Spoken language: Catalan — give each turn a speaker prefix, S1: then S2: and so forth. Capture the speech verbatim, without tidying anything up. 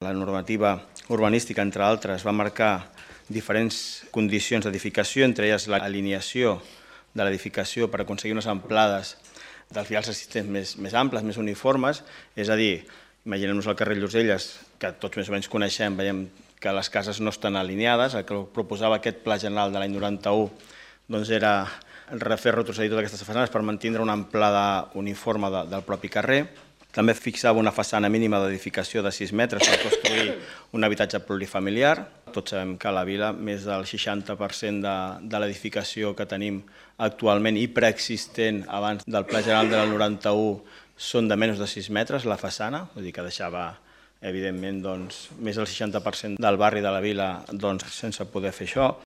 S1: La normativa urbanística, entre altres, va marcar diferents condicions d'edificació, entre elles l'alineació de l'edificació per aconseguir unes amplades dels vials assistents més, més amples, més uniformes, és a dir, imaginem-nos el carrer Lloselles, que tots més o menys coneixem, veiem que les cases no estan alineades, el que proposava aquest Pla General de l'any noranta-u doncs era refer retrocedir totes aquestes façanes per mantenir una amplada uniforme de, del propi carrer. També fixava una façana mínima d'edificació de sis metres per construir un habitatge plurifamiliar. Tots sabem que a la vila més del seixanta per cent de, de l'edificació que tenim actualment i preexistent abans del Pla General del noranta-u són de menys de sis metres la façana, vull dir que deixava evidentment doncs, més del seixanta per cent del barri de la vila doncs, sense poder fer això.